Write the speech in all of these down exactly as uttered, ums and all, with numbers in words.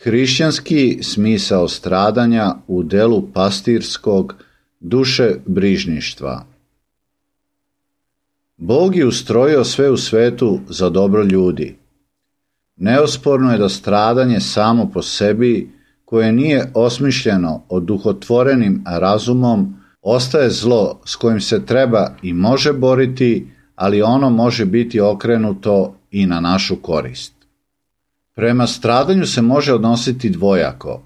Hrišćanski smisao stradanja u delu pastirskog dušebrižništva. Bog je ustrojio sve u svetu za dobro ljudi. Neosporno je da stradanje samo po sebi, koje nije osmišljeno oduhotvorenim razumom, ostaje zlo s kojim se treba i može boriti, ali ono može biti okrenuto i na našu korist. Prema stradanju se može odnositi dvojako,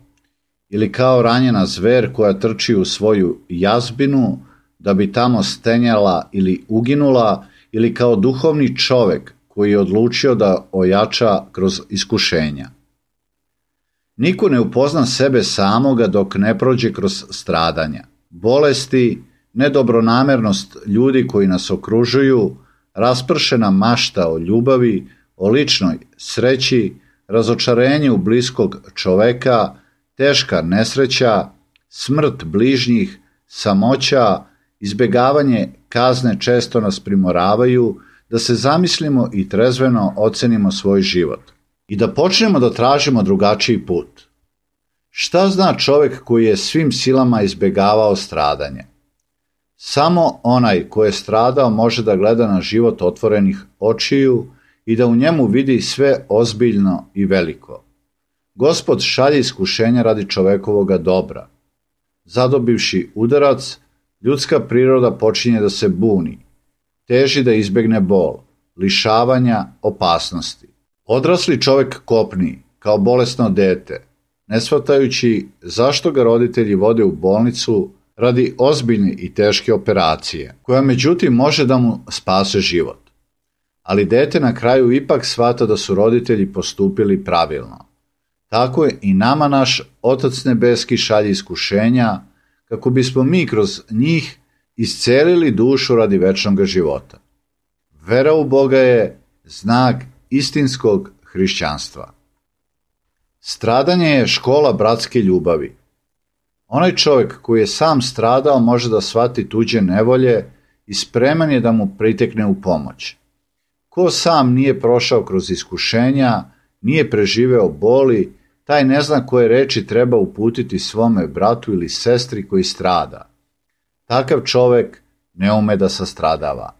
ili kao ranjena zver koja trči u svoju jazbinu da bi tamo stenjala ili uginula, ili kao duhovni čovek koji je odlučio da ojača kroz iskušenja. Niko ne upozna sebe samoga dok ne prođe kroz stradanja. Bolesti, nedobronamernost ljudi koji nas okružuju, raspršena mašta o ljubavi, o ličnoj sreći, razočarenje u bliskog čoveka, teška nesreća, smrt bližnjih, samoća, izbegavanje kazne često nas primoravaju da se zamislimo i trezveno ocenimo svoj život i da počnemo da tražimo drugačiji put. Šta zna čovek koji je svim silama izbegavao stradanje? Samo onaj ko je stradao može da gleda na život otvorenih očiju i da u njemu vidi sve ozbiljno i veliko. Gospod šalje iskušenja radi čovekovoga dobra. Zadobivši udarac, ljudska priroda počinje da se buni, teži da izbegne bol, lišavanja, opasnosti. Odrasli čovek kopni, kao bolesno dete, ne shvatajući zašto ga roditelji vode u bolnicu radi ozbiljne i teške operacije, koja međutim može da mu spase život. Ali dete na kraju ipak shvata da su roditelji postupili pravilno. Tako je i nama naš Otac nebeski šalje iskušenja, kako bismo mi kroz njih iscelili dušu radi večnog života. Vera u Boga je znak istinskog hrišćanstva. Stradanje je škola bratske ljubavi. Onaj čovjek koji je sam stradao može da shvati tuđe nevolje i spreman je da mu pritekne u pomoć. Ko sam nije prošao kroz iskušenja, nije preživeo boli, taj ne zna koje reči treba uputiti svome bratu ili sestri koji strada. Takav čovek ne ume da sastradava.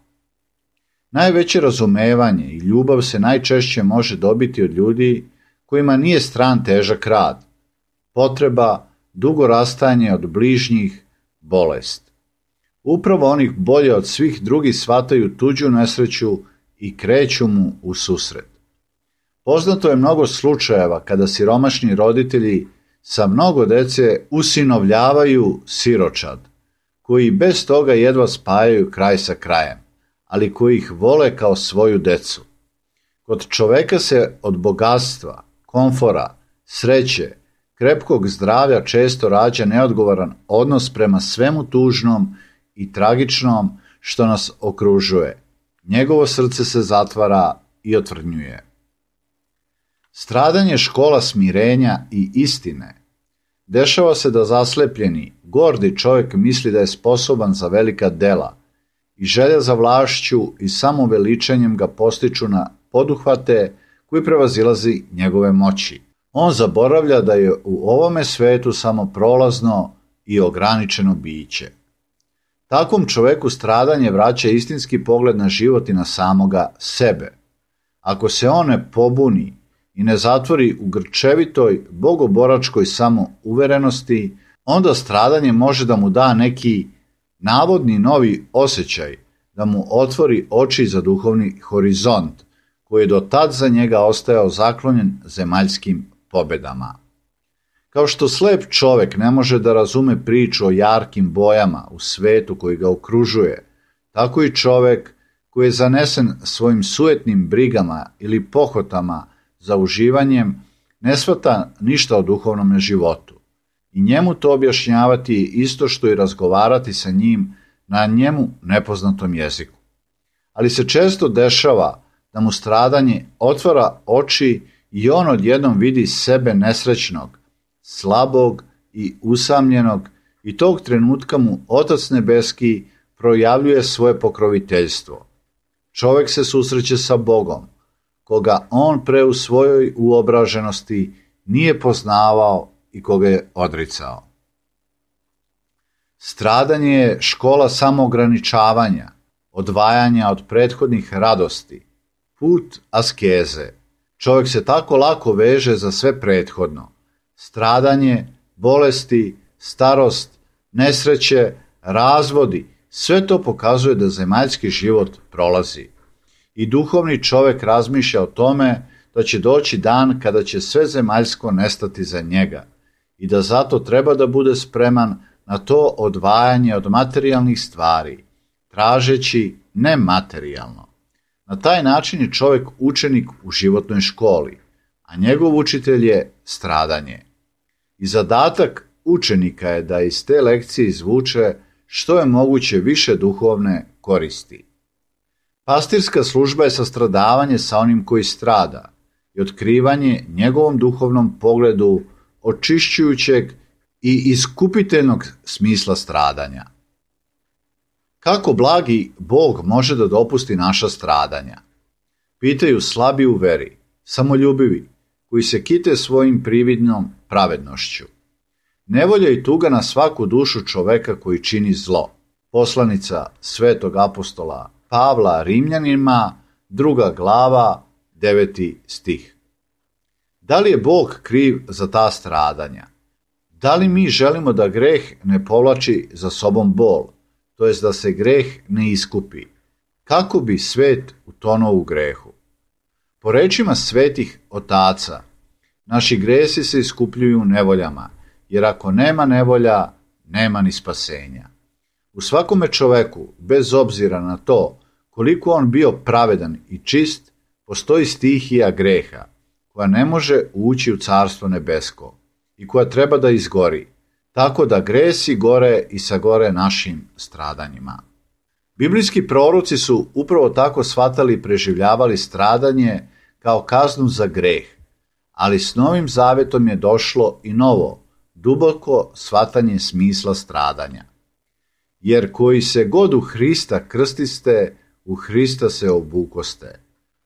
Najveće razumevanje i ljubav se najčešće može dobiti od ljudi kojima nije stran težak rad, potreba, dugo rastajanje od bližnjih, bolest. Upravo onih bolje od svih drugih shvataju tuđu nesreću i kreću mu u susret. Poznato je mnogo slučajeva kada siromašni roditelji sa mnogo dece usinovljavaju siročad, koji bez toga jedva spajaju kraj sa krajem, ali koji ih vole kao svoju decu. Kod čoveka se od bogatstva, komfora, sreće, krepkog zdravlja često rađa neodgovoran odnos prema svemu tužnom i tragičnom što nas okružuje. Njegovo srce se zatvara i otvrdnjuje. Stradanje je škola smirenja i istine. Dešava se da zaslepljeni, gordi čovjek misli da je sposoban za velika dela i želja za vlašću i samoveličanjem ga postiču na poduhvate koji prevazilazi njegove moći. On zaboravlja da je u ovome svetu samo prolazno i ograničeno biće. Takvom čoveku stradanje vraća istinski pogled na život i na samoga sebe. Ako se on ne pobuni i ne zatvori u grčevitoj, bogoboračkoj samouverenosti, onda stradanje može da mu da neki navodni novi osjećaj, da mu otvori oči za duhovni horizont, koji je do tad za njega ostajao zaklonjen zemaljskim pobedama. Kao što slep čovek ne može da razume priču o jarkim bojama u svetu koji ga okružuje, tako i čovek koji je zanesen svojim sujetnim brigama ili pohotama za uživanjem ne shvata ništa o duhovnom životu. I njemu to objašnjavati je isto što i razgovarati sa njim na njemu nepoznatom jeziku. Ali se često dešava da mu stradanje otvara oči i on odjednom vidi sebe nesrećnog, slabog i usamljenog i tog trenutka mu Otac nebeski projavljuje svoje pokroviteljstvo. Čovek se susreće sa Bogom, koga on pre u svojoj uobraženosti nije poznavao i koga je odricao. Stradanje je škola samoograničavanja, odvajanja od prethodnih radosti, put askeze. Čovjek se tako lako veže za sve prethodno. Stradanje, bolesti, starost, nesreće, razvodi, sve to pokazuje da zemaljski život prolazi. I duhovni čovjek razmišlja o tome da će doći dan kada će sve zemaljsko nestati za njega i da zato treba da bude spreman na to odvajanje od materijalnih stvari, tražeći nematerijalno. Na taj način je čovjek učenik u životnoj školi, a njegov učitelj je stradanje. I zadatak učenika je da iz te lekcije izvuče što je moguće više duhovne koristi. Pastirska služba je sastradavanje sa onim koji strada i otkrivanje njegovom duhovnom pogledu očišćujućeg i iskupiteljnog smisla stradanja. Kako blagi Bog može da dopusti naša stradanja? Pitaju slabi u veri, samoljubivi, koji se kite svojim prividnom pravednošću. Nevolja i tuga na svaku dušu čoveka koji čini zlo. Poslanica svetog apostola Pavla Rimljanima, druga glava, deveti stih. Da li je Bog kriv za ta stradanja? Da li mi želimo da greh ne povlači za sobom bol, to jest da se greh ne iskupi? Kako bi svet utonuo u grehu? Po rečima svetih otaca, naši gresi se iskupljuju nevoljama, jer ako nema nevolja, nema ni spasenja. U svakome čoveku, bez obzira na to koliko on bio pravedan i čist, postoji stihija greha, koja ne može ući u carstvo nebesko i koja treba da izgori, tako da gresi gore i sagore našim stradanjima. Biblijski proroci su upravo tako shvatali i preživljavali stradanje kao kaznu za greh, ali s Novim Zavetom je došlo i novo, duboko shvatanje smisla stradanja. Jer koji se god u Hrista krstiste, u Hrista se obukoste.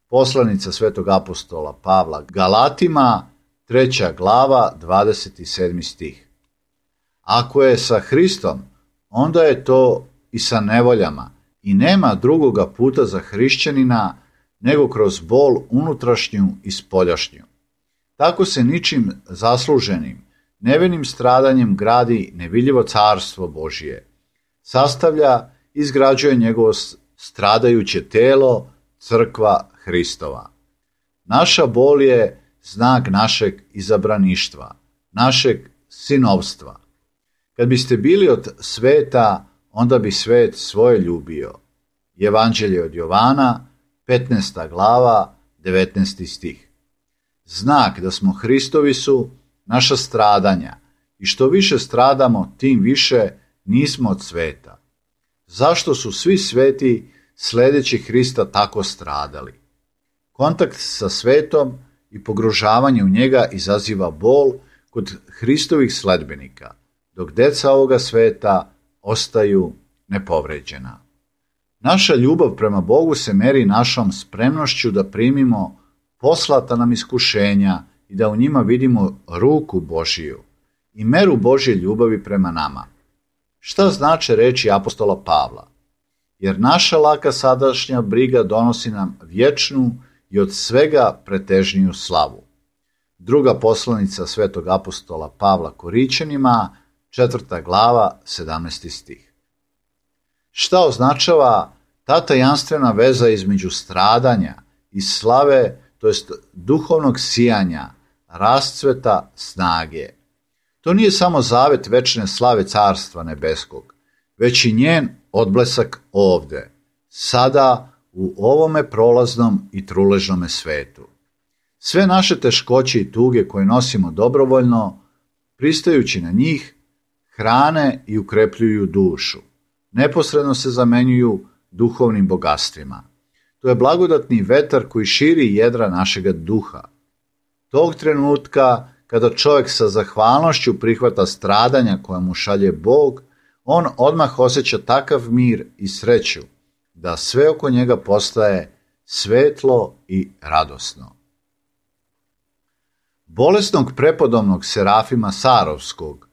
Poslanica svetog apostola Pavla Galatima, treća glava, dvadeset sedmi stih. Ako je sa Hristom, onda je to i sa nevoljama i nema drugoga puta za hrišćanina nego kroz bol unutrašnju i spoljašnju. Tako se ničim zasluženim, nevinim stradanjem gradi nevidljivo carstvo Božije. Sastavlja i izgrađuje njegovo stradajuće telo, crkva Hristova. Naša bol je znak našeg izabraništva, našeg sinovstva. Kad biste bili od sveta, onda bi svet svoje ljubio. Evanđelje od Jovana, petnaesta glava, devetnaesti stih. Znak da smo Hristovi su naša stradanja i što više stradamo, tim više nismo od sveta. Zašto su svi sveti sledeći Hrista tako stradali? Kontakt sa svetom i pogružavanje u njega izaziva bol kod Hristovih sledbenika, dok deca ovoga sveta ostaju nepovređena. Naša ljubav prema Bogu se meri našom spremnošću da primimo poslata nam iskušenja i da u njima vidimo ruku Božiju i meru Božje ljubavi prema nama. Šta znače reči apostola Pavla? Jer naša laka sadašnja briga donosi nam vječnu i od svega pretežniju slavu. Druga poslanica svetog apostola Pavla Korićanima, četvrta glava, sedamnaesti stih. Šta označava ta tajanstvena veza između stradanja i slave, to jest duhovnog sijanja, rascveta, snage? To nije samo zavet večne slave carstva nebeskog, već i njen odblesak ovde, sada u ovome prolaznom i truležnome svetu. Sve naše teškoće i tuge koje nosimo dobrovoljno, pristajući na njih, hrane i ukrepljuju dušu. Neposredno se zamenjuju duhovnim bogatstvima. To je blagodatni vetar koji širi jedra našega duha. Tog trenutka, kada čovjek sa zahvalnošću prihvata stradanja koja mu šalje Bog, on odmah osjeća takav mir i sreću, da sve oko njega postaje svetlo i radosno. Bolesnog prepodobnog Serafima Sarovskog,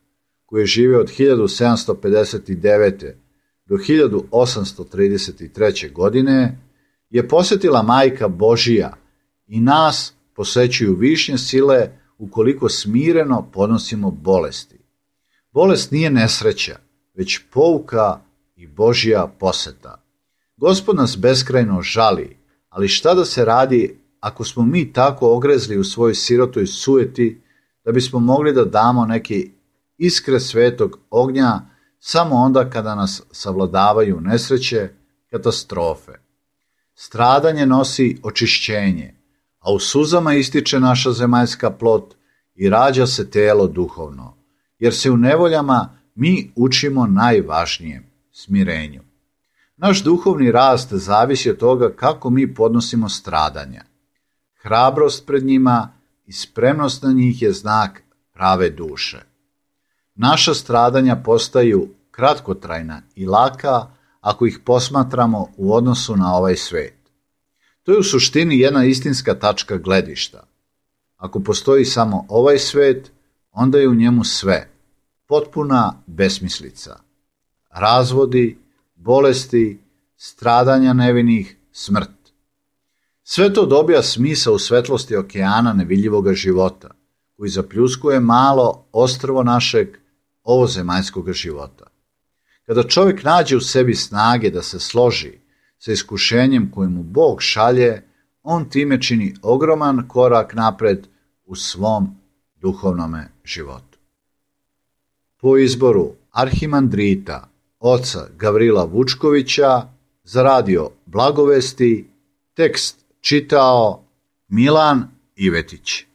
koji je živio od hiljadu sedamsto pedeset devete. do hiljadu osamsto trideset treće. godine, je posjetila Majka Božija i nas posećuju višnje sile ukoliko smireno podnosimo bolesti. Bolest nije nesreća, već pouka i Božja poseta. Gospod nas beskrajno žali, ali šta da se radi ako smo mi tako ogrezli u svojoj sirotoj sujeti da bismo mogli da damo neke iskre svetog ognja samo onda kada nas savladavaju nesreće, katastrofe. Stradanje nosi očišćenje, a u suzama ističe naša zemaljska plot i rađa se telo duhovno, jer se u nevoljama mi učimo najvažnijem, smirenju. Naš duhovni rast zavisi od toga kako mi podnosimo stradanja. Hrabrost pred njima i spremnost na njih je znak prave duše. Naša stradanja postaju kratkotrajna i laka ako ih posmatramo u odnosu na ovaj svet. To je u suštini jedna istinska tačka gledišta. Ako postoji samo ovaj svet, onda je u njemu sve, potpuna besmislica. Razvodi, bolesti, stradanja nevinih, smrt. Sve to dobija smisao u svetlosti okeana nevidljivoga života, koji zapljuskuje malo ostrvo našeg ovozemaljskog života. Kada čovjek nađe u sebi snage da se složi sa iskušenjem koje mu Bog šalje, on time čini ogroman korak napred u svom duhovnome životu. Po izboru arhimandrita oca Gavrila Vučkovića za radio Blagovesti tekst čitao Milan Ivetić.